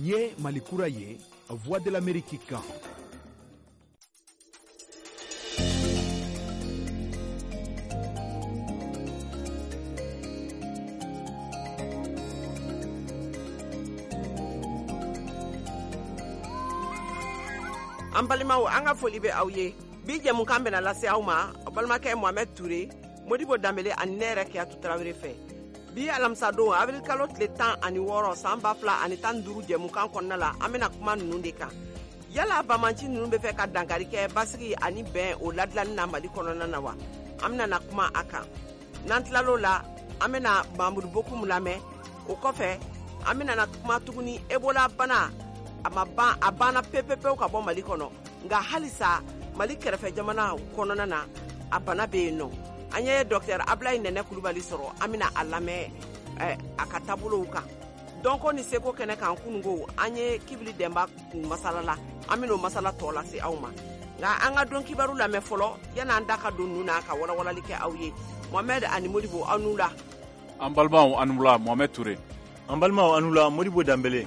Nin ye Mali kura ye, Voix de l'Amérique kan. An balimaw, an ka foli bɛ aw ye. Bi jɛmukan bɛna lase aw ma aw balimakɛ Mohamɛd Ture, Modibo Danbele ani ne yɛrɛ Kiyatu Tarawele fɛ. Bi alamisadon, avril kalo tile 16, san 2015 jɛmukan kɔnɔna la, an bɛna kuma ninnu de kan. Yala bamanci ninnu bɛ fɛ ka dankari kɛ basigi ani bɛn o ladilanni na Mali kɔnɔna na wa? An bɛna na kuma a kan. N'an tilal'o la, an bɛna Mamudu Bokum lamɛn. O kɔfɛ, an bɛna na kuma tuguni Ebola bana, a ma ban, a banna pepepewu ka bɔ Mali kɔnɔ, nka halisa Mali kɛrɛfɛ jamana kɔnɔna na, a bana bɛ yen nɔ. An ye docteur Ablaye Nɛnɛ Kulubali sɔrɔ, an bɛna a lamɛn a ka taabolow kan. Dɔnko ni seko kɛnɛ kan kununko, an ye Kibili Dɛnba kun masala la, an bɛn'o masala tɔ lase aw ma. Nka an ka don kibaru lamɛn fɔlɔ yan'an da ka don ninnu na ka walawalali kɛ aw ye. Mohamɛd ani Modibo, aw n'u la. An balimaw, an wula. Mohamɛd Ture. An balimaw, an wula. Modibo Danbele.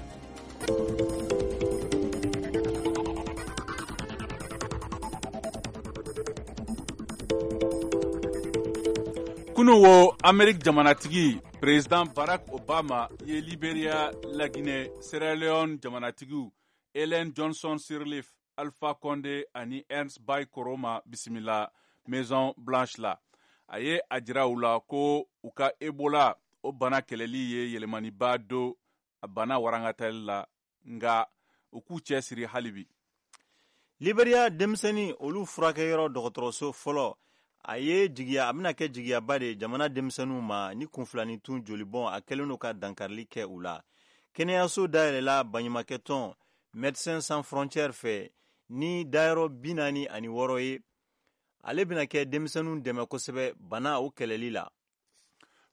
Kunu wo, Amerique jamanatigi président Barack Obama ye Liberia, Laginɛ, Sierra Leone jamanatigiw Ellen Johnson Sirleaf, Alpha Condé ani Ernest Bai Koroma bisimila Maison Blanche la. A ye a jira u la ko u ka Ebola o bana kɛlɛli ye yɛlɛmaniba don a bana warangatali la, nka u k'u cɛsiri hali bi. Liberia denmisɛnnin olu furakɛyɔrɔ dɔgɔtɔrɔso fɔlɔ, a ye jigiya, a bɛna kɛ jigiyaba de ye jamana denmisɛnninw ma ni kunfilanitun jolibɔn a kɛlen don ka dankarili kɛ u la. Kɛnɛyaso dayɛlɛla baɲumankɛtɔn Médecins Sans Frontières fɛ ni dayɔrɔ 46 ye. Ale bɛna kɛ denmisɛnninw dɛmɛ kosɛbɛ bana o kɛlɛli la.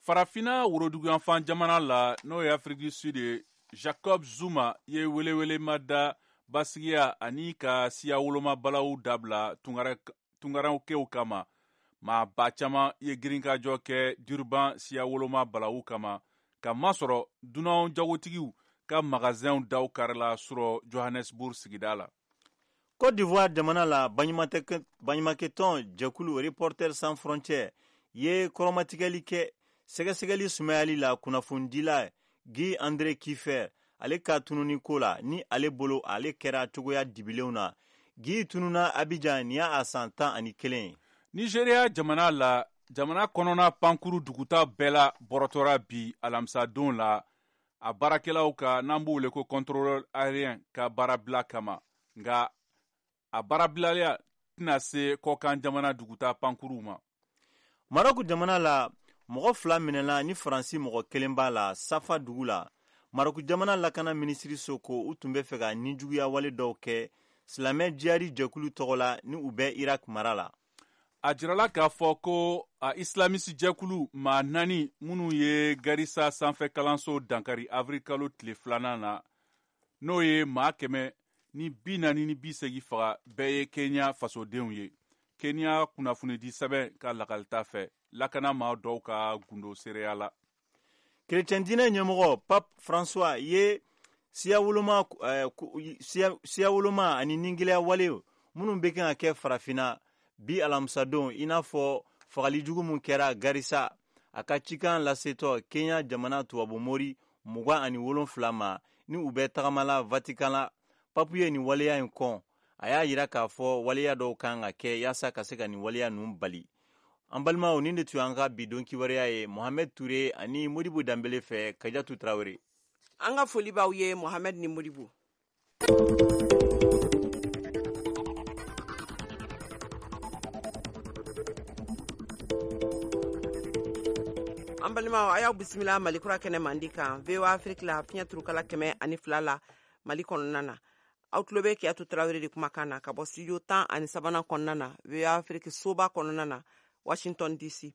Farafina woroduguyanfan jamana la, n'o ye Afrique du Sud ye, Jacob Zuma ye welewelema da basigiya ani ka siya woloma balawu dabila tungarankew kama. Maa ba caman ye girinkajɔ kɛ Durban siya woloma balawu kama, ka masɔrɔ dunan jagotigiw ka magasinw daw karila surɔ Johannesburg sigida la. Côte d'Ivoire jamana la, baɲumankɛtɔn jɛkulu Reporters sans frontières ye kɔrɔmatigɛli kɛ sɛgɛsɛgɛli sumayali la kunnafonidila Guy André Kiefer ale ka tununi ko la, ni ale bolo ale kɛra cogoya dibilenw na. Guy tununa Abidjan nin y'a san 11 ye. Nigeria jamana la, jamana kɔnɔna pankuru duguta bɛɛ la bɔrɔtɔra bi alamisadon la, a baarakɛlaw ka, n'an b'u wele ko contrôleur aérien, ka baarabila kama. Nka a baarabilaya tɛna se kɔkan jamana duguta pankuruw ma. Marɔku jamana la, mɔgɔ 2 minɛna ni Faransi mɔgɔ kelen b'a la Safa dugu la. Marɔku jamana lakana minisiriso ko u tun bɛ fɛ ka nijuguya wale dɔw kɛ silamɛ jihadi jɛkulu tɔgɔ la ni u bɛ Irak mara la. A jirala k'a fɔ ko a islamisi jɛkulu maa 4 minnu ye Garissa sanfɛ kalanso dankari avril kalo tile 2 na, n'o ye maa 184 faga, bɛɛ ye Kenya fasodenw ye. Kenya kunnafonidi sɛbɛn ka lakalita fɛ, lakana maa dɔw ka gundo seereya la. Kerecɛn diinɛ ɲɛmɔgɔ Pape François ye siya woloma ani ningɛlɛya wale minnu bɛ kan ka kɛ farafinna bi alamisadon, i n'a fɔ fagali jugu min kɛra Garissa, a ka cikan lasetɔ Kenya jamana tubabumori 27 ma ni u bɛ tagamala Vatican la. Papu ye nin waleya in kɔn. A y'a yira k'a fɔ waleya dɔw kan ka kɛ yaasa ka se ka nin waleya ninnu bali. An balimaw, nin de tun y'an ka bi don kibaruya ye Mohamed Toure ani Modibo Danbele fɛ. Kajatu Tarawele. An ka foli b'aw ye, Mohamed ni Modibo. An balimaw, a y'aw bisimila Mali kura kɛnɛ mandi kan, VOA Afrique la, fiɲɛ turukala 102 la Mali kɔnɔna na. Aw tulo bɛ Kiyatu Tarawele de kumakan na ka bɔ studio 13nan kɔnɔna na, VOA Afrique soba kɔnɔna na, Washington DC.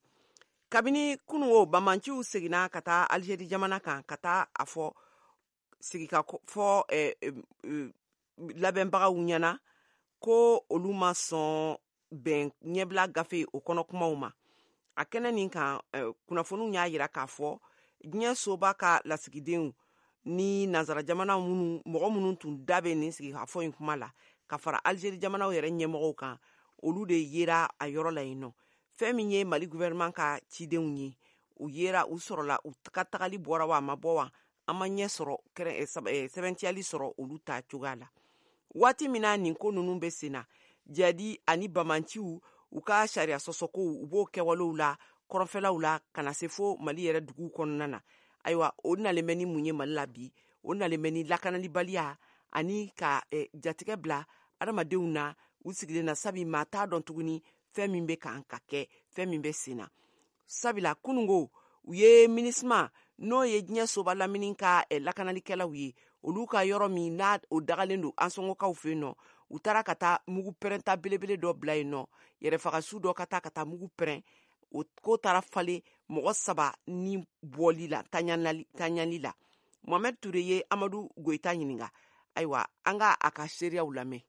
Kabini kunun o, bamanciw seginna ka taa Algérie jamana kan ka taa a fɔ sigika fɔ labɛnbagaw ɲɛna ko olu ma sɔn bɛn ɲɛbila gafe o kɔnɔ kumaw ma. A kɛnɛ nin kan, kunnafoniw y'a yira k'a fɔ diɲɛ soba ka lasigidenw Ni nansara jamana minnu, mɔgɔ minnu tun da bɛ nin sigikafɔ in kuma la ka fara Algérie jamanaw yɛrɛ ɲɛmɔgɔw kan, olu de yera a yɔrɔ la yen nɔ. Fɛn min ye Mali gouvernement ka cidenw ye, u yera, u sɔrɔla, u ka tagali bɔra wa, a ma bɔ wa, an ma ɲɛ sɔrɔ, sɛbɛntiyali sɔrɔ olu ta cogoya la. Waati min na nin ko ninnu bɛ sen na, jadi ani bamanciw u ka sariya sɔsɔkow, u b'o kɛwalew la kɔrɔnfɛlaw la ka na se fo Mali yɛrɛ duguw kɔnɔna na. Ayiwa, o nalen bɛ ni mun ye Mali la bi? O nalen bɛ ni lakanalibaliya ani ka jatigɛ bila adamadenw na u sigilen na, sabi maa t'a dɔn tuguni fɛn min bɛ kan ka kɛ, fɛn min bɛ sen na. Sabila kunungo, u ye MINUSMA, n'o ye diɲɛ soba lamini ka lakanalikɛlaw ye, olu ka yɔrɔ min n'a o dagalen don Ansɔngɔkaw fɛ yen nɔ, u taara ka taa mugu pɛrɛnta belebele dɔ bila yen nɔ, yɛrɛfagasu dɔ ka taa ka taa mugu pɛrɛn. O ko taara falen mɔgɔ 3 ni bɔli la, taɲali la. Mohamed Touré ye Amadu Goyita ɲininka. Ayiwa, an ka a ka seereyaw lamɛn.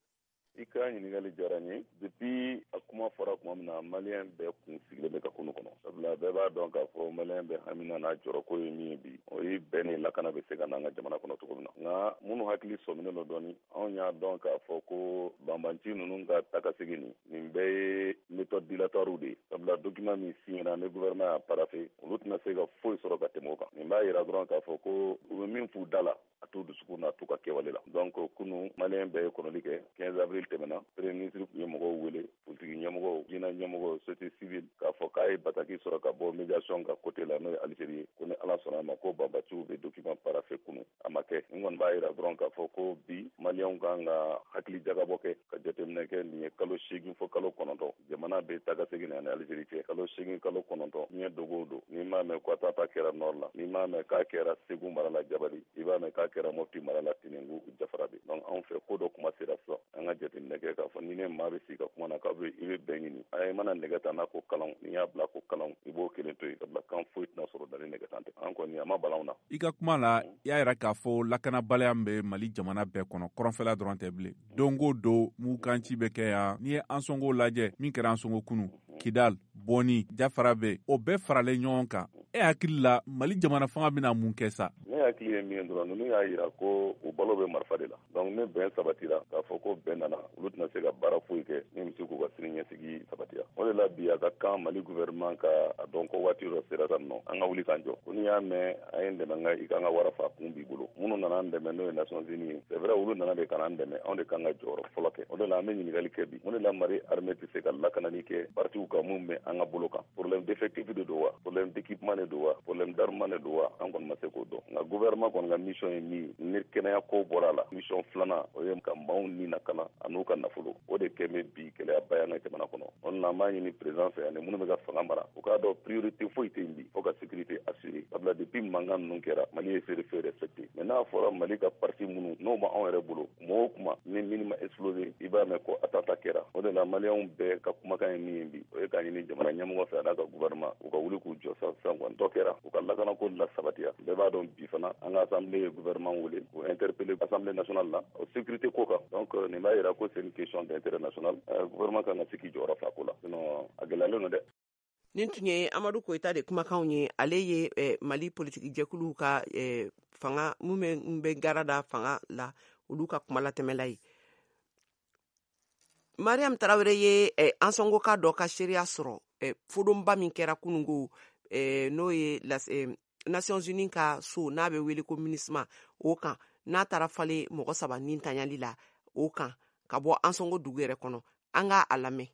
I ka ɲininkali diyara n ye. Depuis a kuma fɔra tuma min na, Maliyɛn bɛɛ kun sigilen bɛ ka kunu kɔnɔ, sabula bɛɛ b'a dɔn k'a fɔ Maliyɛn bɛɛ hamina n'a jɔrɔko ye min ye bi, o ye bɛn ni lakana bɛ se ka n'an ka jamana kɔnɔ cogo min na. Nka minnu hakili sɔminen don dɔɔni, anw y'a dɔn k'a fɔ ko banbanci ninnu ka takasegin nin bɛɛ ye méthode dilatoire de ye, sabula document min signera ni gouvernement y'a paraphé, olu tɛna se ka foyi sɔrɔ ka tɛmɛ o kan. Nin b'a yira dɔrɔn k'a fɔ ko u bɛ min f'u da la, a t'u dusukun na, a t'u ka kɛwale la. Donc kunu, Maliyɛn bɛɛ ye kɔnɔli kɛ. 15 avril tɛmɛna, premier ministre tun ye mɔgɔw wele, politiki ɲɛmɔgɔw, diinɛ ɲɛmɔgɔw, société civile, k'a fɔ k'a ye bataki sɔrɔ ka bɔ médiation ka côté la, n'o ye Algérie ye, ko ni Ala sɔnna a ma, ko banbaciw bɛ document paraphé kunu. A ma kɛ. Nin kɔni b'a yira dɔrɔn k'a fɔ ko bi Maliyɛnw kan ka hakili jagabɔ kɛ ka jateminɛ kɛ. Nin ye kalo 8 fo kalo 9, jamana bɛ taga segin ani Algérie cɛ. Kalo 8, kalo 9, diɲɛ dogo o don, n'i m'a mɛn ko attentat kɛra nord la, n'i m'a mɛn k'a kɛra Segu mara la Jabali, i b'a mɛn k'a kɛra Mopti mara la Tenengu Jafarabe. Donc anw fɛ, ko dɔ kuma sera sisan, an ka jateminɛ kɛ k'a fɔ ni ne maa bɛ sigi ka kuma na k'a bɛ i bɛ bɛn ɲini, a i mana nɛgɛ ta n'a ko kalan, n'i y'a bila ko kalan, i b'o kelen to yen, sabula kan foyi tɛna sɔrɔ da ni nɛgɛ tan tɛ. An kɔni, a ma bala anw na. I ka kuma la, i y'a yira k'a fɔ lakanabaliya min bɛ Mali jamana bɛɛ kɔnɔ, kɔrɔnfɛla dɔrɔn tɛ bilen. Don o don, mugukanci bɛ kɛ yan. N'i ye Ansɔngo lajɛ, min kɛra Ansɔngo kunu, Kidal, Bɔni, Jafara bɛ, o bɛɛ faralen ɲɔgɔn kan. E hakili la, Mali jamana fanga bɛna mun kɛ sa? Ne hakili ye min ye dɔrɔn, ninnu y'a yira ko u balo bɛ marifa de la. Donc ni bɛn sabatira, k'a fɔ ko bɛn nana, olu tɛna se ka baara foyi kɛ min bɛ se k'u ka sini ɲɛsigi sabatiya. O de la bi, a ka kan Mali gouvernement ka a dɔn ko waati dɔ sera sa nɔ, an ka wuli k'an jɔ. Ko n'i y'a mɛn a ye n dɛmɛ, n ka i ka n ka wara fa kun b'i bolo. Minnu nana an dɛmɛ, n'o ye Nations Unies ye, c'est vrai, olu nana de ka na an dɛmɛ, anw de kan ka jɔyɔrɔ fɔlɔ kɛ. O de la an bɛ ɲininkali kɛ bi, mun de la Mali armée tɛ se ka lakanali kɛ partiw kan mun bɛ an ka bolo kan? Problème d'effectif de don wa, problème d'équipement de don wa, problème d'armement de don wa? An kɔni ma se k'o dɔn. Nka gouvernement kɔni ka mission ye min ye, ni kɛnɛya ko bɔra a la, mission filanan, o ye ka maaw ni lakana an'u ka nafolo. O de kɛ bɛ bi gɛlɛyaba y'an ka jamana kɔnɔ. O de la an b'a ɲini président fɛ ani minnu bɛ ka fanga mara, u k'a dɔn priorité foyi tɛ yen bi fo ka sécurité assurer, sabula depuis mankan ninnu kɛra, Mali ye cessez-le-feu respecté. Mais n'a fɔra Mali ka parti minnu n'o ma anw yɛrɛ bolo, kuma o kuma ni mine ma explosé, i b'a mɛn ko attentat kɛra. O de la Maliyɛnw bɛɛ ka kumakan ye min ye bi, o ye k'a ɲini jamana ɲɛmɔgɔ fɛ a n'a ka gouvernement, u ka wuli k'u jɔ sisan sisan kɔni dɔ kɛra, u ka lakanako la sabatiya. Bɛɛ b'a dɔn bi fana, an ka assemblée ye gouvernement wele k'o interpeller Assemblée nationale la o sécurité ko kan. Donc nin b'a yira ko c'est une question d'intérêt national. Gouvernement kan ka se k'i jɔyɔrɔ fa ko la, sinon a gɛlɛyalen don dɛ. Nin tun ye Amadu Koyita de kumakanw ye. Ale ye Mali politiki jɛkuluw ka fanga mun bɛ gara da fanga la, olu ka kumalatɛmɛla ye. Mariam Tarawele ye Ansɔngoka dɔ ka seereya sɔrɔ fodonba min kɛra kunungo, n'o ye Nations Unies ka so n'a bɛ wele ko MINUSMA, o kan n'a taara falen mɔgɔ 3 ni tanyali la, o kan ka bɔ Ansɔngo dugu yɛrɛ kɔnɔ. An ka a lamɛn.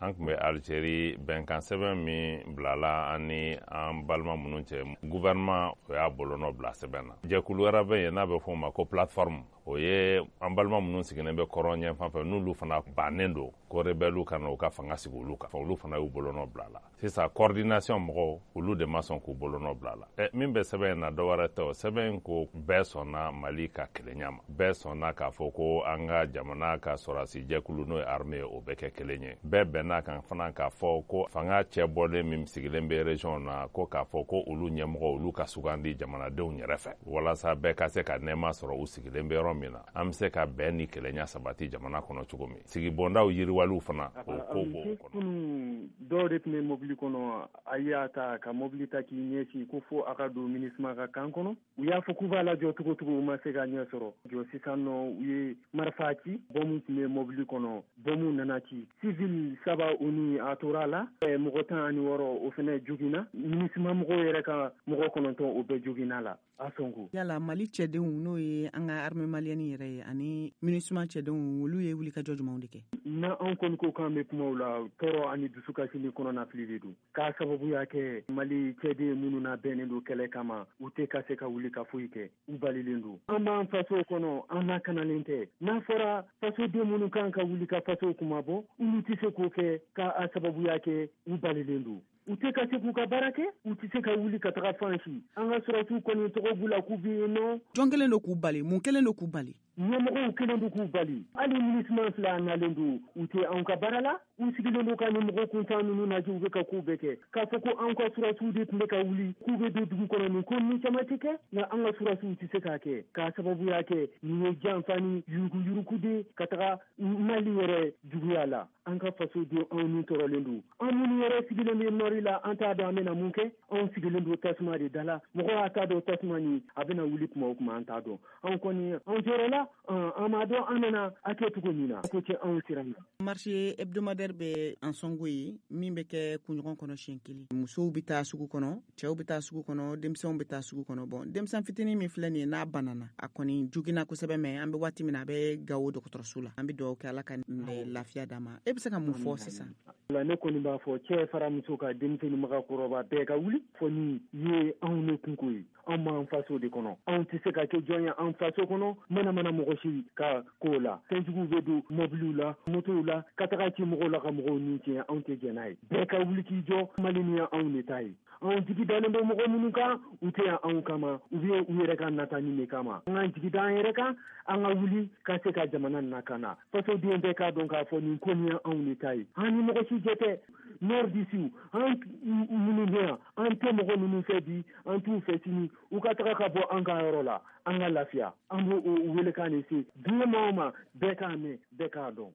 An tun bɛ Algérie. Bɛnkan sɛbɛn min bilala an ni an balima minnu cɛ, gouvernement o y'a bolonɔ bila sɛbɛn na. Jɛkulu wɛrɛ bɛ yen n'a bɛ fɔ o ma ko plateforme, o ye an balima minnu sigilen bɛ kɔrɔn ɲɛfan fɛ, n'olu fana bannen don ko rebelle ka na u ka fanga sigi olu kan, olu fana y'u bolonɔ bila la. Sisan coordination mɔgɔw, olu de ma sɔn k'u bolonɔ bila la. Ɛ, min bɛ sɛbɛn in na, dɔ wɛrɛ tɛ. O sɛbɛn in ko bɛɛ sɔnna Mali ka kelenya ma, bɛɛ sɔnna k'a fɔ ko an ka jamana ka sɔrɔdasi jɛkulu, n'o ye armée ye, o bɛ kɛ kelen ye. Bɛɛ bɛnna. bɛnna kan fana k'a fɔ ko fanga cɛ bɔlen min sigilen bɛ région na, ko k'a fɔ ko olu ɲɛmɔgɔ, olu ka sugandi jamanadenw yɛrɛ fɛ, walasa bɛɛ ka se ka nɛɛma sɔrɔ u sigilen bɛ yɔrɔ min na. An bɛ se ka bɛn ni kelenya sabati jamana kɔnɔ cogo min, sigibondaw yiriwaliw fana, o ko b'o kɔnɔ. Kunun, dɔw de tun bɛ mobili kɔnɔ, a y'a ta ka mobili ta k'i ɲɛsin ko fo a ka don MINUSMA ka camp kɔnɔ. U y'a fɔ k'u b'a lajɔ cogo cogo, u ma se ka ɲɛ sɔrɔ jɔ. Sisan nɔ, u ye marifa ci, bɔmu tun bɛ mobili kɔnɔ, bɔmu nana ci, civil saba o ni a tora a la, mɔgɔ 16 o fana joginna. MINUSMA mɔgɔw yɛrɛ ka mɔgɔ 9, o bɛɛ joginna la a sɔnko. Yala Mali cɛdenw, n'o ye an ka armée malienne yɛrɛ ye, ani MINUSMA cɛdenw, olu ye wulikajɔ jumɛnw de kɛ? Na anw kɔni ko k'an bɛ kumaw la, tɔɔrɔ ani dusukasi ni kɔnɔnafili de don, k'a sababuya kɛ Mali cɛden minnu na bɛnnen don kɛlɛ kama, u tɛ ka se ka wuli ka foyi kɛ, u balilen don. An b'an faso kɔnɔ, an lakanalen tɛ. N'a fɔra fasoden minnu kan ka wuli ka faso kuma bɔ, olu tɛ se k'o kɛ, k'a sababuya kɛ u balilen don, u tɛ ka se k'u ka baara kɛ, u tɛ se ka wuli ka taga fan si. An ka sɔrɔsiw kɔni tɔgɔ b'u la k'u bɛ yen nɔ. Jɔn kɛlen don k'u bali? Mun kɛlen don k'u bali? Ɲɛmɔgɔw kɛlen don k'u bali. Hali MINUSMA filɛ, a nalen don, u tɛ anw ka baara la, u sigilen don ka nin mɔgɔ kuntan ninnu lajɛ, u bɛ ka kow bɛɛ kɛ. K'a fɔ ko anw ka surasiw de tun bɛ ka wuli k'u bɛ don dugu kɔnɔ, nin ko ninnu caman tɛ kɛ, nka an ka surasiw tɛ se k'a kɛ, k'a sababuya kɛ nin ye janfa ni yuruguyurugu de ka taga Mali yɛrɛ juguya la. An ka fasoden, anw ni tɔɔrɔlen don. An minnu yɛrɛ sigilen bɛ nord la, an t'a dɔn an bɛna mun kɛ. Anw sigilen don tasuma de da la, mɔgɔ y'a t'a dɔn tasuma nin a bɛna wuli tuma o tuma, an t'a dɔn. Anw kɔni, anw jɔyɔrɔ la, an m'a dɔn an bɛna a kɛ cogo min na, ko cɛ anw siran na. Marché hebdomadaire bɛ Ansongo ye, min bɛ kɛ kunɲɔgɔn kɔnɔ siɲɛ kelen. Musow bɛ taa sugu kɔnɔ, cɛw bɛ taa sugu kɔnɔ, denmisɛnw bɛ taa sugu kɔnɔ. Bon, denmisɛn fitinin min filɛ nin ye, n'a banana, a kɔni joginna kosɛbɛ, mais an bɛ waati min na, a bɛ Gawo dɔgɔtɔrɔso la. An bɛ dugawu kɛ, Ala ka lafiya d'a ma. E bɛ se ka mun fɔ sisan? La, ne kɔni b'a fɔ, cɛ fara muso ka, denmisɛnnin, magakɔrɔba, bɛɛ ka wuli fɔ ni ye anw ne kunko ye. Anw b'an faso de kɔnɔ, anw tɛ se ka kɛ jɔn ye an faso kɔnɔ, mana mana mɔgɔ si ka ko la. Fɛnjuguw bɛ don mɔbiliw la, motow la, ka taga ci mɔgɔw la, ka mɔgɔw ni tiɲɛ. Anw tɛ jɛn n'a ye. Bɛɛ ka wuli k'i jɔ. Mali ni ye anw de ta ye. Anw jigi dalen bɛ mɔgɔ minnu kan, u tɛ yan anw kama, u bɛ u yɛrɛ ka natani de kama. An k'an jigi da an yɛrɛ kan, an ka wuli ka se ka jamana lakana. Fasoden bɛɛ k'a dɔn k'a fɔ nin ko nin ye anw de ta ye, an ni mɔgɔ si jɛ tɛ. Nordistes, an minnu bɛ yan, an tɛ mɔgɔ ninnu fɛ bi, an t'u fɛ sini. U ka taga ka bɔ an ka yɔrɔ la, an ka lafiya. An b'o welekan de se diɲɛ maa o ma, bɛɛ k'a mɛn, bɛɛ k'a dɔn.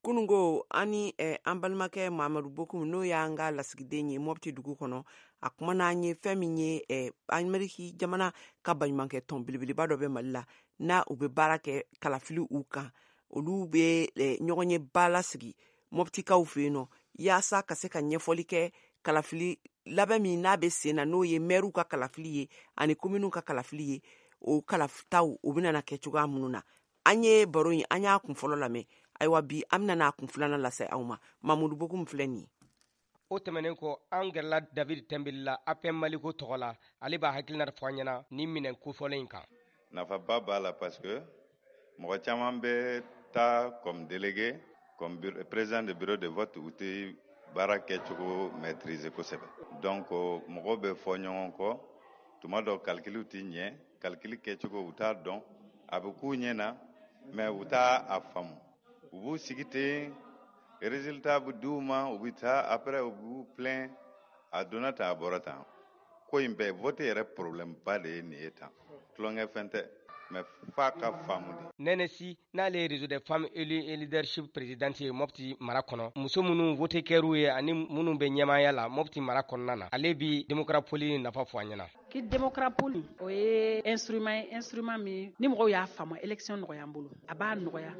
Kunungo, ani an balimakɛ Mamadu Bokum, n'o y'an ka lasigiden ye Mɔpti dugu kɔnɔ, a kumana an ye fɛn min ye Ameriki jamana ka baɲumankɛ tɔn belebeleba dɔ bɛ Mali la, n'a u bɛ baara kɛ kalafili u kan. Olu bɛ ɲɔgɔn ye ba lasigi Mɔptikaw fɛ yen nɔ, yaasa ka se ka ɲɛfɔli kɛ kalafili labɛn min n'a bɛ sen na, n'o ye mɛriw ka kalafili ye ani kominiw ka kalafili ye, o kalafitaw o bɛna kɛ cogoya minnu na. An ye baro in, an y'a kun fɔlɔ lamɛn. Ayiwa, bi an bɛna n'a kun filanan lase aw ma. Mamudu Bokum filɛ nin ye. O tɛmɛnen kɔ, an gɛrɛla David Tɛnbeli la, APM Maliko tɔgɔ la. Ale b'a hakilina fɔ an ɲɛna ni minɛn kofɔlen in kan. Nafaba b'a la, parce que mɔgɔ caman bɛ taa comme délégué, comme président de bureau de vote, u tɛ baara kɛcogo maîtriser kosɛbɛ. Donc mɔgɔw bɛ fɔ ɲɔgɔn kɔ tuma dɔ, calcul tɛ ɲɛ, calcul kɛcogo u t'a dɔn, a bɛ k'u ɲɛ na, mais u t'a a faamu. U b'u sigi ten, résultat bɛ d'u ma, u bɛ taa, après u b'u plaint, a donna tan, a bɔra tan. Ko in bɛɛ, vote yɛrɛ problème ba de ye nin ye tan. Tulonkɛ fɛn tɛ, mais f'a ka faamu de. Nɛnɛ Si, n'ale ye Réseau des femmes élues et leadership présidente ye Mɔpti mara kɔnɔ, muso minnu vote kɛr'u ye ani minnu bɛ ɲɛmaaya la Mɔpti mara kɔnɔna na, ale bi Démocrapole nafa fɔ an ɲɛna. Kit Démocrapole, o ye instrument ye, instrument min ni mɔgɔw y'a faamu, élection nɔgɔya an bolo. A b'a nɔgɔya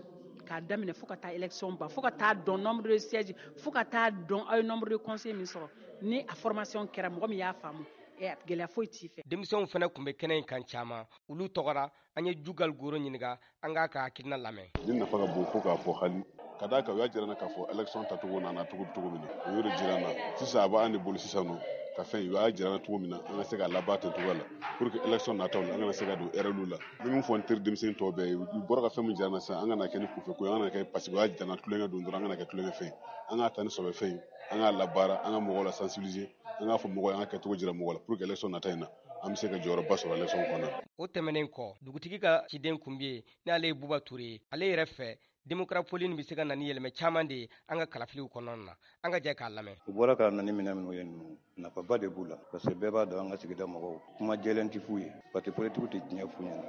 k'a daminɛ fo ka taa élection ban, fo ka taa dɔn nombre de sièges, fo ka taa dɔn aw ye nombre de conseillers min sɔrɔ. Ni a formation kɛra, mɔgɔ min y'a faamu, gɛlɛya foyi t'i fɛ. Denmisɛnw fana tun bɛ kɛnɛ in kan caman, olu tɔgɔra. An ye Jugal Goro ɲininka, an k'a ka hakilina lamɛn. Ni nafa ka bon fo k'a fɔ hali ka d'a kan, u y'a jira n na k'a fɔ élection tacogo n'a nacogo bɛ cogo min na, u y'o de jira n na. Sisan a b'an de bolo sisan nɔ ka fɛn, u y'a jira n na cogo min na, an ka se k'a laban ten cogoya la, pour que élection nataw la, an kana se ka don erreur la. N bɛ min fɔ n teri denmisɛnnin tɔw bɛɛ ye, u bɔra ka fɛn min jira n na sisan, an kana kɛ ni kunfɛ ko ye, an kana kɛ parce que u y'a jira n na tulonkɛ don dɔrɔn, an kana kɛ tulonkɛ fɛn ye. An k'a ta ni sɔbɛ fɛn ye, an k'a labaara, an ka mɔgɔw la sensibiliser, an k'a fɔ mɔgɔw ye, an ka kɛcogo jira mɔgɔw la, pour que élection nata in na, an bɛ se ka jɔyɔrɔba sɔrɔ élection kɔnɔna na. O tɛmɛnen kɔ, dugutigi ka ciden kun bɛ yen, n'ale ye Buba Ture ye. Ale yɛrɛ fɛ, Démocrapole nin bɛ se ka na ni yɛlɛmɛ caman de ye an ka kalafiliw kɔnɔna na. An ka jɛ k'a lamɛn. U bɔra ka na ni minɛn minnu ye ninnu, nafaba de b'u la, parce que bɛɛ b'a dɔn an ka sigida mɔgɔw kuma jɛlen tɛ f'u ye, parti politique tɛ diɲɛ f'u ɲɛna,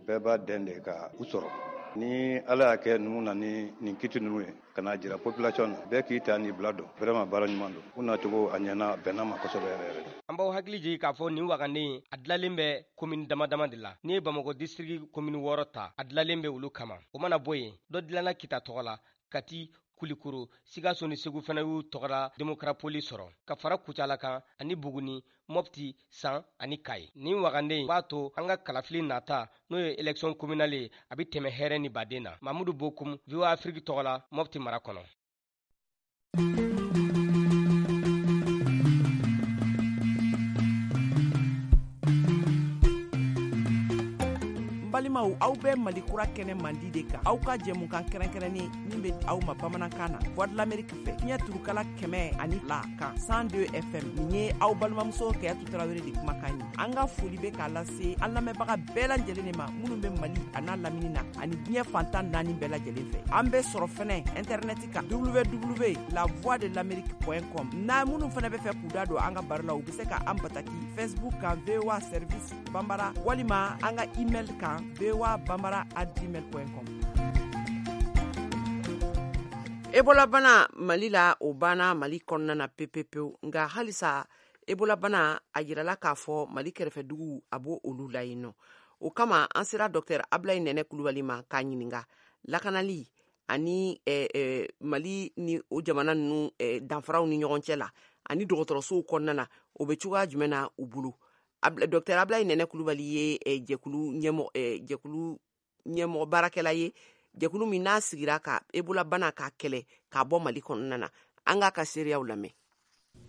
bɛɛ b'a dɛn de ka u sɔrɔ. Ni Ala y'a kɛ ninnu na ni nin kiti ninnu ye ka n'a jira population na, bɛɛ k'i ta n'i bila dɔn, vraiment baara ɲuman don. U nacogo a ɲɛna, a bɛnna ma kosɛbɛ yɛrɛ yɛrɛ. An b'aw hakili jigin k'a fɔ nin wagande in a dilalen bɛ commune dama dama de la. N'i ye Bamakɔ district commune 6 ta, a dilalen bɛ olu kama. O mana bɔ yen, dɔ dilanna Kita tɔgɔ la, Kati, Kulikoro, Sikaso ni Segu fana y'u tɔgɔra Démocrapole sɔrɔ, ka fara Kucala kan ani Buguni, Mopti, San ani Kayi. Nin wagande in b'a to an ka kalafili nata, n'o ye élection communale ye, a bɛ tɛmɛ hɛrɛ ni baden na. Mamudu Bokum, VOA Afrique tɔgɔ la, Mopti mara kɔnɔ. Balimaw, aw bɛ Mali kura kɛnɛ mandi de kan, aw ka jɛmukan kɛrɛnkɛrɛnnen min bɛ aw ma bamanankan na Voix de l'Amérique fɛ, fiɲɛ turukala 102 kan 102 FM. Nin ye aw balimamuso Kayatu Tarawele de kumakan ye. An ka foli bɛ k'a lase an lamɛnbaga bɛɛ lajɛlen de ma minnu bɛ Mali a n'a lamini na ani diɲɛ fantan naani bɛɛ lajɛlen fɛ. An bɛ sɔrɔ fɛnɛ internet kan www.lavoixdelamerique.com. N'a minnu fɛnɛ bɛ fɛ k'u da don an ka baro la, u bɛ se ka an bataki Facebook kan VOA Service Bambara, walima an ka email kan voabambara@gmail.com. Ebola bana Mali la, o banna Mali kɔnɔna na pepepewu, nka halisa Ebola bana a yirala k'a fɔ Mali kɛrɛfɛduguw a b'o olu la yen nɔ. O kama an sera Dr Ablaye Nɛnɛ Kulubali ma k'a ɲininka lakanali ani Mali ni o jamana ninnu danfaraw ni ɲɔgɔn cɛ la ani dɔgɔtɔrɔsow kɔnɔna na, o bɛ cogoya jumɛn na u bolo. Dr Ablaye Nɛnɛ Kulubali ye jɛkulu ɲɛmɔgɔ baarakɛla ye, jɛkulu min n'a sigira ka Ebola bana k'a kɛlɛ k'a bɔ Mali kɔnɔna na. An k'a ka seereyaw lamɛn.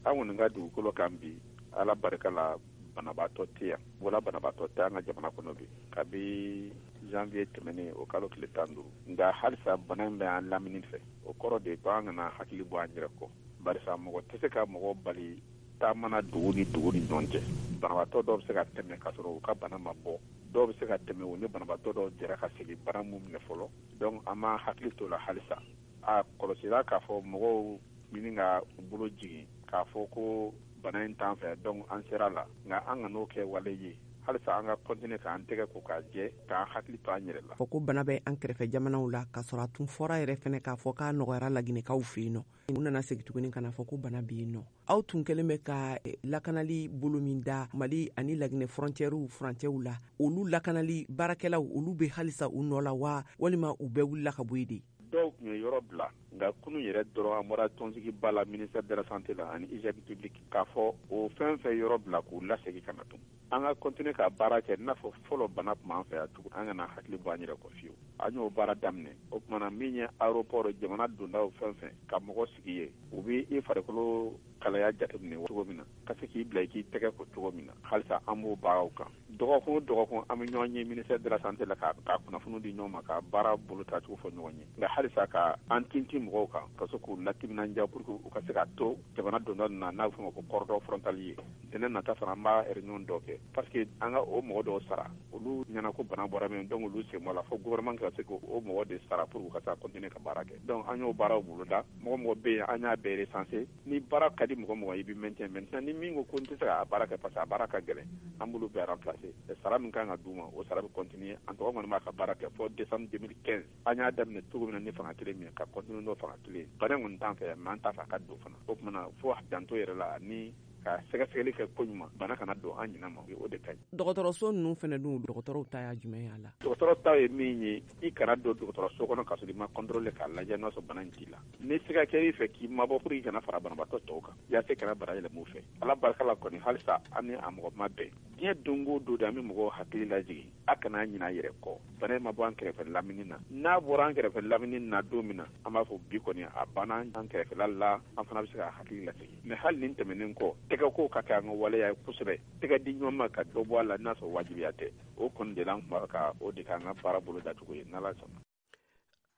An kɔni ka dugukolo kan bi, Ala barika la, banabaatɔ tɛ yan, Ebola banabaatɔ tɛ an ka jamana kɔnɔ bi kabi janvier tɛmɛnen, o kalo tile 15. Nka halisa bana in bɛ an lamini fɛ. O kɔrɔ de ko an kana hakili bɔ an yɛrɛ kɔ, barisa mɔgɔ tɛ se ka mɔgɔ bali taama na dugu ni dugu ni ɲɔgɔn cɛ. Banabaatɔ dɔw bɛ se ka tɛmɛ k'a sɔrɔ u ka bana ma bɔ, dɔw bɛ se ka tɛmɛ u ni banabaatɔ dɔw jɛra ka segin bana mun minɛ fɔlɔ. Donc an b'an hakili to la halisa. A kɔlɔsira k'a fɔ mɔgɔw ɲini ka u bolo jigin k'a fɔ ko bana in t'an fɛ, donc an sera la. Nka an kan'o kɛ wale ye, halisa an ka continuer k'an tɛgɛ ko k'a jɛ, k'an hakili to an yɛrɛ la. Fɔ ko bana bɛ an kɛrɛfɛ jamanaw la, k'a sɔrɔ a tun fɔra yɛrɛ fɛnɛ k'a fɔ k'a nɔgɔyara Laginɛkaw fɛ yen nɔ. U nana segin tuguni ka na fɔ ko bana bɛ yen nɔ. Aw tun kɛlen bɛ ka lakanali bolo min da Mali ani Laginɛ frontièrew furancɛw la, olu lakanali baarakɛlaw olu bɛ halisa u nɔ la wa, walima u bɛɛ wulila ka bɔ yen de? Dɔw tun ye yɔrɔ bila, nka kunun yɛrɛ dɔrɔn an bɔra tɔnsigiba la ministère de la santé la ani hygiène publique k'a fɔ o fɛn fɛn yɔrɔ bila k'u lasegin ka na tun. An ka continuer ka baara kɛ n'a fɔ fɔlɔ bana tun b'an fɛ yan tugun, an kana hakili bɔ an yɛrɛ kɔ fiyewu. An y'o baara daminɛ. O tuma na min ye aéroport jamana dondaw fɛn fɛn ka mɔgɔ sigi yen, u bɛ i farikolo kalaya jateminɛ cogo min na, ka se k'i bila i k'i tɛgɛ ko cogo min na, halisa an b'o baaraw kan. Dɔgɔkun o dɔgɔkun an bɛ ɲɔgɔn ye ministère de la santé la ka kunnafoni di ɲɔgɔn ma, ka baara bolo tacogo fɔ ɲɔgɔn ye. Nka halisa ka an tintin mɔgɔw kan, ka se k'u latiminandiya pour que u ka se ka to jamana donda ninnu na, n'a bɛ f'o ma ko cordon frontalier. Ntɛnɛn nata fana an b'a réunion dɔ kɛ, parce que an ka o mɔgɔ dɔw sara, olu ɲɛna ko bana bɔra min, donc olu sen bɔ la, fo gouvernement ka se k'o mɔgɔ de sara pour que u ka se ka continuer ka baara kɛ. Donc an y'o baaraw boloda. Mɔgɔ mɔgɔ bɛ yen, an y'a bɛɛ recenser. Ni baara ka di mɔgɔ mɔgɔ i bɛ maintien. Maintenant ni min ko ko n tɛ se ka baara kɛ parce que a baara ka gɛlɛn, an b'olu bɛɛ remplacer. Sara min kan ka d'u ma, o sara bɛ continuer. An tɔgɔ kɔni b'a ka baara kɛ fo décembre 2015. An y'a daminɛ cogo min na ni fanga kelen min ye, ka continuer n'o fanga kelen ye. Bana in kɔni t'an fɛ yan, mais an t'a fɛ a ka don fana. O tuma na fo janto yɛrɛ la ni ka sɛgɛsɛgɛli kɛ koɲuman, bana kana don an ɲinɛ ma, o de ka ɲi. Dɔgɔtɔrɔso ninnu fana dun, dɔgɔtɔrɔw ta y'a jumɛn y'a la? Dɔgɔtɔrɔ ta ye min ye, i kana don dɔgɔtɔrɔso kɔnɔ k'a sɔrɔ i ma contrôler k'a lajɛ n'a sɔrɔ bana in t'i la. Ni siga kɛr'i fɛ k'i mabɔ pour i kana fara banabaatɔ tɔw kan, yaasa i kana bana yɛlɛma u fɛ. Ala barika la kɔni halisa an ni a mɔgɔ ma bɛn. Diɲɛ don o don de an bɛ mɔgɔw hakili lajigin, a kana ɲinɛ a yɛrɛ kɔ. Bana in ma bɔ an kɛrɛfɛ lamini na. N'a bɔra an kɛrɛfɛ lamini na don min na, an b'a fɔ bi kɔni a banna an kɛrɛfɛla la, an fana bɛ se ka hakili lasegin. Mais hali nin tɛmɛnen kɔ, tɛgɛko ka kɛ an ka waleya ye kosɛbɛ. Tɛgɛ di ɲɔgɔn ma ka dɔ bɔ a la n'a sɔrɔ wajibiya tɛ. O kɔni de la an tun b'a ka o de k'an ka baara bolo dacogo ye, n'Ala sɔnna.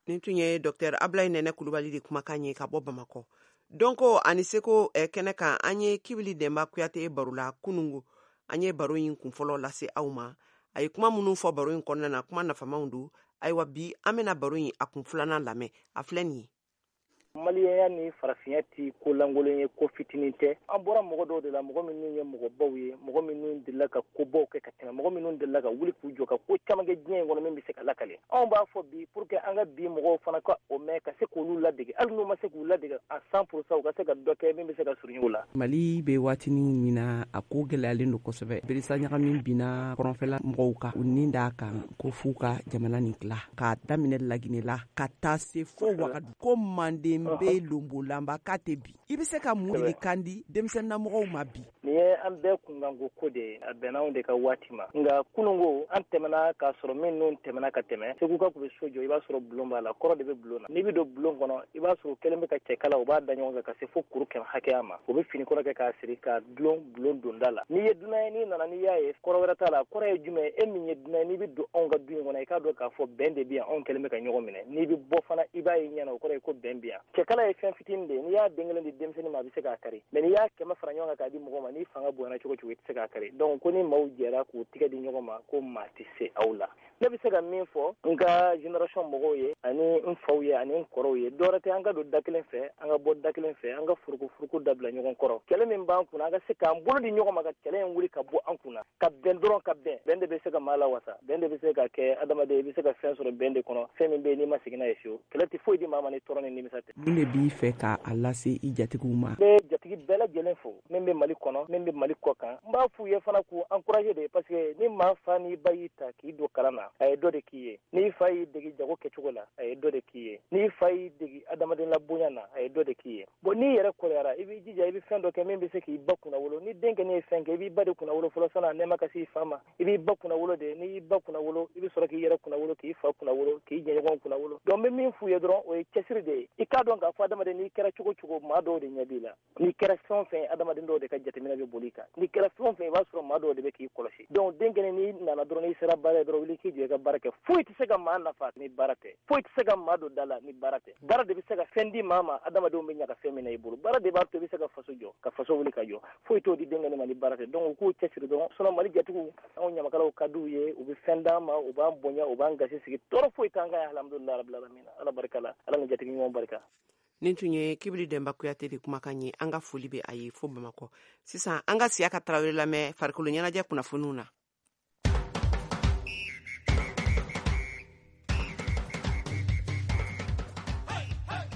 Nin tun ye Dr Ablaye Nɛnɛ Kulubali de kumakan ye ka bɔ Bamakɔ. Dɔnko ani seko kɛnɛ kan, an ye Kibili Dɛnba Kuyate baro la kunungo. An ye baro in kunfɔlɔ lase aw ma. A ye kuma minnu fɔ baro in kɔnɔna na, kuma nafamaw don. Ayiwa, bi an bɛna baro in a kun filanan lamɛn. A filɛ nin ye. Maliyɛnya ni farafinya ti ko lankolon ye, ko fitinin tɛ. An bɔra mɔgɔ dɔw de la, mɔgɔ minnu ye mɔgɔbaw ye, mɔgɔ minnu delila ka kobaw kɛ ka tɛmɛ, mɔgɔ minnu delila ka wuli k'u jɔ ka ko caman kɛ diɲɛ in kɔnɔ min bɛ se ka lakale. Anw b'a fɔ bi pour que an ka bi mɔgɔw fana ka o mɛn, ka se k'olu ladege, hali n'u ma se k'u ladege à 100%, u ka se ka dɔ kɛ min bɛ se ka surunya u la. Mali bɛ waatinin min na, a ko gɛlɛyalen don kosɛbɛ. Berisa ɲagami binna kɔrɔnfɛla mɔgɔw kan, u ni d'a kan ko f'u ka jamana nin tila, k'a daminɛ Laginɛ la ka taa se fo Wagadu, ko Manden bɛ lonbolanba k'a tɛ bi. I bɛ se ka mun kan di denmisɛnninnamɔgɔw ma bi? Nin ye an bɛɛ kunkanko ko de ye, a bɛnna anw de ka waati ma. Nka kununko an tɛmɛna k'a sɔrɔ minnu tɛmɛna ka tɛmɛ. Seguka tun bɛ so jɔ, i b'a sɔrɔ bulon b'a la, kɔrɔ de bɛ bulon na. N'i bɛ don bulon kɔnɔ, i b'a sɔrɔ kɛlen bɛ ka cɛkala, u b'a da ɲɔgɔn kan ka se fo kuru 100 hakɛya ma. U bɛ fini kɔrɔ kɛ k'a siri k'a dulon bulon donda la. N'i ye dunan ye, n'i nana, n'i y'a ye, kɔrɔ wɛrɛ t'a la. Kɔrɔ ye jumɛn ye? E min ye dunan ye, n'i bɛ don anw ka du in kɔnɔ, i k'a dɔn k'a fɔ bɛn de bɛ yan, anw kɛlen bɛ ka ɲɔgɔn minɛ. N'i bɛ bɔ fana, i b'a ye ɲɛna, o kɔrɔ ye ko bɛn bɛ yan. Cɛkala ye fɛn fitinin de ye, n'i y'a den kelen di denmisɛnnin ma, a bɛ se k'a kari, mais n'i y'a 100 fara ɲɔgɔn kan k'a di mɔgɔ ma, n'i fanga bonyana cogo cogo, i tɛ se k'a kari. Donc ko ni maaw jɛra k'u tigɛ di ɲɔgɔn ma, ko maa tɛ se aw la. Ne bɛ se ka min fɔ n ka génération mɔgɔw ye, ani n faw ye, ani n kɔrɔw ye, dɔwɛrɛ tɛ, an ka don da kelen fɛ, an ka bɔ da kelen fɛ, an ka furukufuruku dabila ɲɔgɔn kɔrɔ. Kɛlɛ min b'an kunna, an ka se k'an bolo di ɲɔgɔn ma ka kɛlɛ in wuli ka bɔ an kunna, ka bɛn dɔrɔn, ka bɛn. Bɛn de bɛ se ka maa lawasa, bɛn de bɛ se ka kɛ adamaden, i bɛ se ka fɛn sɔrɔ bɛn de kɔnɔ, fɛn min bɛ yen n'i ma segin n'a ye fiyewu. Kɛlɛ tɛ foyi di maa ma ni tɔɔrɔ ni nimisa tɛ. Mun de b'i fɛ k'a lase i jatigiw ma? N bɛ jatigi bɛɛ lajɛlen fo, min bɛ Mali kɔnɔ, min bɛ Mali kɔ kan. N b'a f'u ye fana k'u encourager de, parce que ni maa fa n'i ba y'i ta k'i don kalan na, a ye dɔ de k'i ye. N'i fa y'i degi jago kɛcogo la, a ye dɔ de k'i ye. N'i fa y'i degi adamaden labonya na, a ye dɔ de k'i ye. Bon, n'i yɛrɛ kɔrɔyara, i b'i jija, i bɛ fɛn dɔ kɛ min bɛ se k'i ba kunnawolo. Ni den kɛnɛ ye fɛn kɛ, i b'i ba de kunnawolo fɔlɔ san'a nɛɛma ka se i fa ma. I b'i ba kunnawolo de. N'i y'i ba kunnawolo, i bɛ sɔrɔ k'i yɛrɛ kunnawolo, k'i fa kunnawolo, k'i jɛɲɔgɔn kunnawolo. Donc n bɛ min f'u ye dɔrɔn, o ye cɛsiri de ye. I k'a dɔn k'a fɔ adamaden, n'i kɛra cogo cogo, maa dɔw de ɲɛ b'i la. N'i kɛra fɛn o fɛn ye, adamaden dɔw de ka jateminɛ bɛ boli i kan. N'i kɛra fɛn o fɛn, i b'a sɔrɔ maa dɔw de bɛ k'i kɔlɔsi. Donc den kɛnɛ, n'i nana dɔrɔn, n'i sera baara ye dɔrɔn, wuli k'i jɔ i ka baara kɛ. Foyi tɛ se ka maa nafa ni baara tɛ, foyi tɛ se ka maa don da la ni baara tɛ. Baara de bɛ se ka fɛn di maa ma, adamadenw bɛ ɲaga fɛn min na i bolo. Baara de b'a to i bɛ se ka faso jɔ, ka faso wuli ka jɔ. Foyi t'o di den kɛnɛ ma ni baara tɛ. Donc u k'u cɛsiri dɔrɔn. Sinon Mali jatigiw, anw ɲamakalaw ka d'u ye, u bɛ fɛn d'an ma, u b'an bonya, u b'an gasi sigi. Tɔɔrɔ foyi t'an kan yan, alhamdulilayi rabbil alamin. Ala barika la, Ala ni jatigi ɲuman barika. Nin tun ye Kibili Dɛnba Kuyate de kumakan ye. An ka foli bɛ a ye fo Bamakɔ. Sisan an ka Siyaka Tarawele lamɛn farikolo ɲɛnajɛ kunnafoniw na.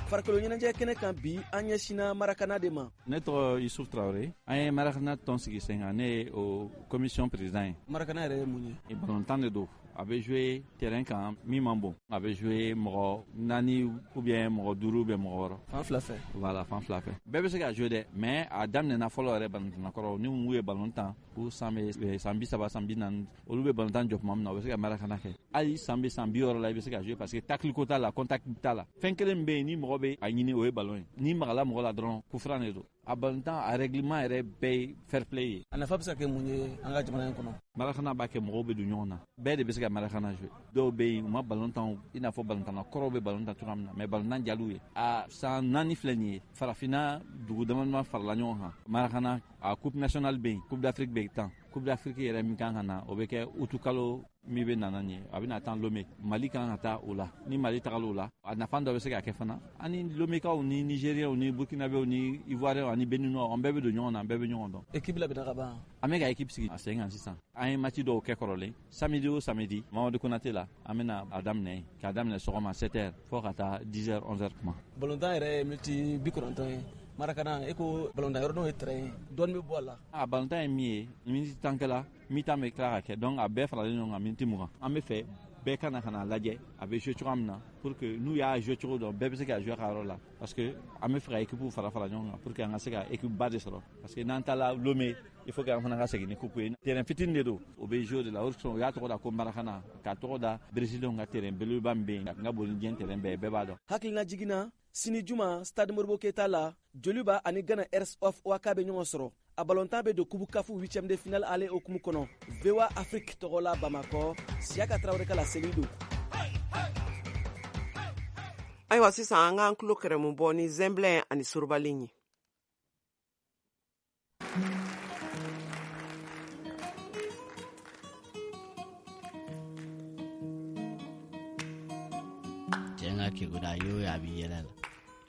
Farikolo ɲɛnajɛ kɛnɛ kan bi, an ɲɛsinna Marakana de ma. Ne tɔgɔ Yusuf Traoré. An ye Marakana tɔn sigi sen kan, ne ye o commission président ye. Marakana yɛrɛ ye mun ye? Balontan de don, a bɛ jouer terrain kan min man bon, a bɛ jouer mɔgɔ 4 ou bien mɔgɔ 5 ou bien mɔgɔ 6. Fan fila fɛ. Voilà, fan fila fɛ, bɛɛ bɛ se ka jouer dɛ, mais a daminɛna fɔlɔ yɛrɛ balontanna kɔrɔ ni mun ye balon tan, u san bɛ san 30, san 40, olu bɛ balontan jɔ tuma min na, u bɛ se ka Marakana kɛ. Hali san bɛ san 60 la, i bɛ se ka jouer, parce que tacle ko t'a la, contact t'a la. Fɛn kelen min bɛ yen ni mɔgɔ bɛ a ɲini, o ye ballon ye. N'i magala mɔgɔ la dɔrɔn, coup franc de don. A balontan, a règlement yɛrɛ bɛɛ ye fair play ye. A nafa bɛ se ka kɛ mun ye an ka jamana in kɔnɔ? Marakana b'a kɛ mɔgɔw bɛ don ɲɔgɔn na, bɛɛ de bɛ se ka Marakana jouer. Dɔw bɛ yen, u ma balon tan i n'a fɔ balontanna kɔrɔw bɛ balon tan cogoya min na, mais balontan jal'u ye. A san 4 filɛ nin ye, farafinna dugu dama dama farala ɲɔgɔn kan. Marakana a coupe nationale bɛ yen, coupe d'Afrique bɛ tan. Coupe d'Afrique yɛrɛ min kan ka na, o bɛ kɛ utukalo min bɛ nana nin ye, a bɛna tan Lomé. Mali kan ka taa o la. Ni Mali tagala o la, a nafa dɔ bɛ se ka kɛ fana. Ani Lomekaw ni Nigériens ni Burkinabéw ni Ivoiriens ani Béninois, an bɛɛ bɛ don ɲɔgɔn na, an bɛɛ bɛ ɲɔgɔn dɔn. Équipe labɛnna ka ban. An bɛ ka équipe sigi a sen kan sisan. An ye match dɔw kɛ kɔrɔlen. Samedi o samedi, Mamadu Konate la, an bɛna a daminɛ, k'a daminɛ sɔgɔma 7h fo ka taa 10h 11h kuma. Balontan yɛrɛ ye miniti 90 ye. Marakana, e ko balontan yɔrɔ n'o ye terrain ye, dɔɔni bɛ bɔ a la. A balontan ye min ye, miniti 10 kɛla, mi-temps bɛ tila ka kɛ, donc a bɛɛ faralen ɲɔgɔn kan miniti 20. An bɛ fɛ bɛɛ ka na ka na lajɛ a bɛ jouer cogoya min na, pour que n'u y'a jouer cogo dɔn, bɛɛ bɛ se ka jouer a ka yɔrɔ la, parce que an bɛ fɛ ka équipe fara fara ɲɔgɔn kan pour que an ka se ka équipe ba de sɔrɔ, parce que n'an taara Lomé, il faut que an fana ka segin ni coupe ye. Terrain fitinin de don, o bɛ jouer de la, o u y'a tɔgɔ da ko Marakana, k'a tɔgɔ da Brésilien ka terrain belebeleba min bɛ yen, a ka bon ni diɲɛ terrain bɛɛ ye, bɛɛ b'a dɔn. Hakilina jiginna sini juma stade Modibo Keita la, Joliba ani Ghana Hearts of Oak bɛ ɲɔgɔn sɔrɔ. A balontan bɛ don kubu kafu 8e de finale ale hukumu kɔnɔ. VOA Afrique tɔgɔ la Bamakɔ, Siyaka Tarawele ka laseli don. Ayiwa, sisan an k'an tulo kɛrɛmu bɔ ni zɛnbilɛn ani sorobalen ye. ka kegun a y'o ye, a bɛ yɛlɛ la.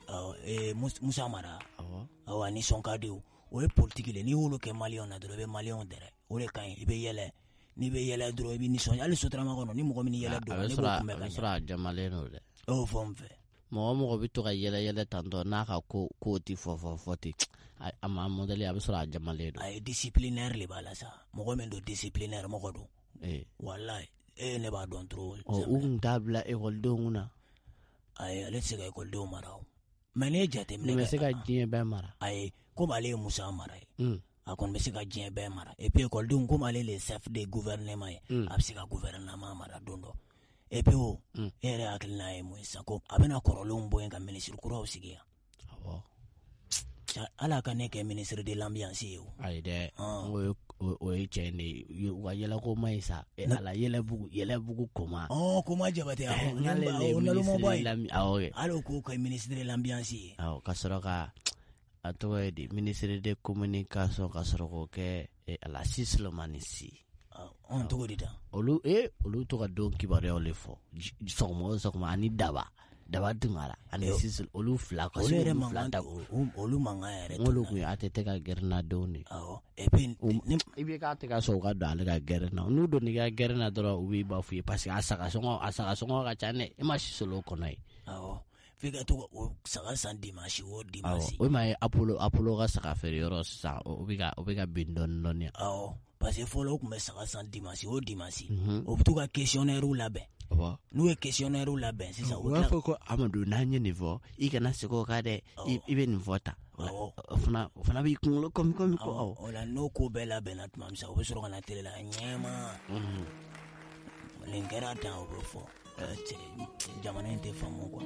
Awɔ, Musa Mara. Awɔ. Awɔ, a nisɔn ka di o. O ye politiki le, n'i y'olu kɛ maliyɛnw na dɔrɔn, i bɛ maliyɛnw dɛrɛ. O de ka ɲi, i bɛ yɛlɛ. N'i bɛ yɛlɛ dɔrɔn, i bɛ nisɔndiya. Hali sotarama kɔnɔ, ni mɔgɔ min yɛlɛ don, ne b'o kunbɛn ka ɲɛ. A bɛ sɔrɔ a jamalen don dɛ. E y'o fɔ n fɛ. Mɔgɔ bɛ to ka yɛlɛ yɛlɛ tantɔ n'a ka ko tɛ fɔ ten, a ma mɔdɛli, a bɛ sɔrɔ a jamalen don. A ye disciplinaire le b'a la sa, mɔgɔ min don disciplinaire mɔgɔ don. Walayi, e ne b'a dɔn trop. Ɔ, u tun t'a bila ekɔlidenw kunna. Ayi, ale tɛ se ka ekɔlidenw mara o. Mais n'i ye jateminɛ kɛ. Nin bɛ se ka diɲɛ bɛɛ mara. Ayi, komi ale ye Musa Mara ye. A kɔni bɛ se ka diɲɛ bɛɛ mara. Et puis ekɔlidenw, komi ale le chef de gouvernement ye, a bɛ se ka gouvernement mara don dɔ. Et puis o, e yɛrɛ hakilina ye mun ye sisan, ko a bɛna kɔrɔlenw bɔ yen ka ministre kuraw sigi yan. Awɔ. Ala ka ne kɛ ministre de l'ambiance ye o. Ayi dɛ, o ye tiɲɛ de ye. U ka yɛlɛko ma ɲi sa. Ala yɛlɛbugu koma. Ɔ, koma Jabate, awɔ. N'ale o nalomaba ye. Awɔ. Hali o k'o kɛ ministre de l'ambiance ye. Awɔ, ka sɔrɔ ka a tɔgɔ ye di, ministre de communication, ka sɔrɔ k'o kɛ ala si Solomani si. Ɔn, cogo di tan? Olu to ka don kibaruyaw le fɔ sɔgɔma o sɔgɔma, ani daba Tunkara ani Sisi, olu fila ka olu yɛrɛ mankan, olu mankan yɛrɛ. Olu kun ye ATT ka gɛrɛna denw de. Awɔ. Et puis i bɛ k'a tɛ ka sɔn u ka don ale ka gɛrɛn na. N'u donna i ka gɛrɛn na dɔrɔn, u b'i ba f'u ye parce que a saga sɔngɔ ka ca dɛ. E ma sisolo kɔnɔ ye. Awɔ. F'i ka to o saga san dimanche o dimanche. Awɔ, o ma ye Apollo ka saga feere yɔrɔ sisan, o bɛ ka bin dɔɔni dɔɔni. Awɔ. Parce que fɔlɔ u tun bɛ saga san dimanche o dimanche. O bɛ to ka questionnaire labɛn. N'u ye questionnaire labɛn sisan, u b'a fɔ ko Amadu, n'an ye nin fɔ, i kana segin o kan dɛ, i bɛ nin fɔ tan. O fana b'i kunkolo kɔmi ko awɔ. O la n'o ko bɛɛ labɛnna tuma min sa, u bɛ sɔrɔ ka na télé la ɲɛma. Nin kɛra tan, o bɛ fɔ. Jamana in tɛ faamu quoi.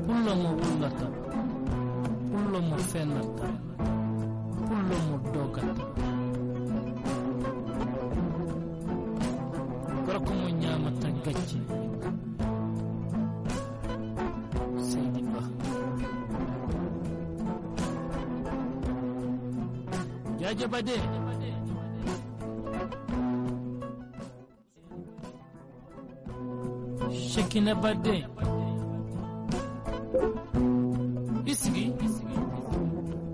Pullo mo wullata, pullo mo fennata, pullo mo dogata. Gorko mo ñaamata gacce. Seydi Ba. Jaaja Bade. Shekina Bade. I sigi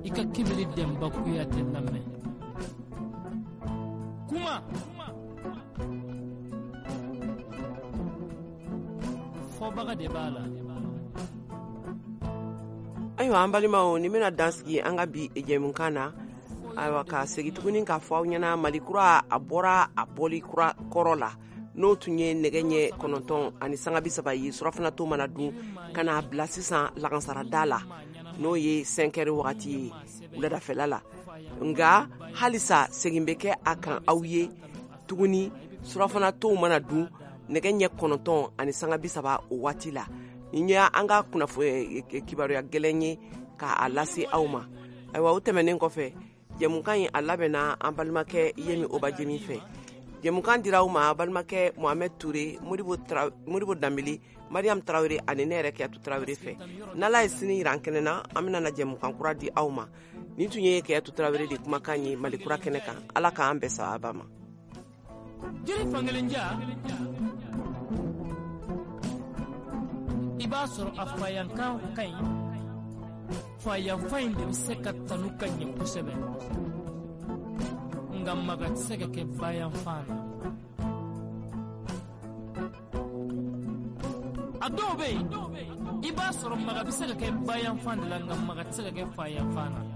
i ka kibiri Denba Kuyate lamɛn. Kuma fɔbaga de b'a la. Ayiwa, an balimaw, nin bɛna dan sigi an ka bi jɛmukan na. Ayiwa, ka segin tuguni k'a fɔ aw ɲɛna, Mali kura a bɔra a bɔli kura kɔrɔ la, n'o tun ye nɛgɛ ɲɛ 9:30 ye, surafana to mana dun ka n'a bila sisan lagansarada la, n'o ye 5 heures wagati ye wuladafɛla la. Nka halisa segin bɛ kɛ a kan aw ye tuguni, surafana tow mana dun nɛgɛ ɲɛ 9:30 o waati la. Nin ye an ka kunnafoni kibaruya gɛlɛn ye k'a lase aw ma. Ayiwa, o tɛmɛnen kɔfɛ, jɛmukan in a labɛnna an balimakɛ Yemi Obajemi fɛ. Jɛmukan dira aw ma balimakɛ Mohamed Touré, Modibo Danbele, Mariam Traoré ani ne yɛrɛ Kiyatu Traoré fɛ. N'Ala ye sini yira an kɛnɛ na, an bɛna na jɛmukan kura di aw ma. Nin tun ye Kiyatu Traoré de kumakan ye Mali kura kɛnɛ kan. Ala k'an bɛn sababa ma. Jiri fankelen ja, i b'a sɔrɔ a fayankan ka ɲi, Fayanfan in de bɛ se ka tanu ka ɲɛ kosɛbɛ, nka maga tɛ se ka kɛ bayanfan na. A dɔw bɛ yen, i b'a sɔrɔ maga bɛ se ka kɛ bayanfan de la, nka maga tɛ se ka kɛ fayanfan na.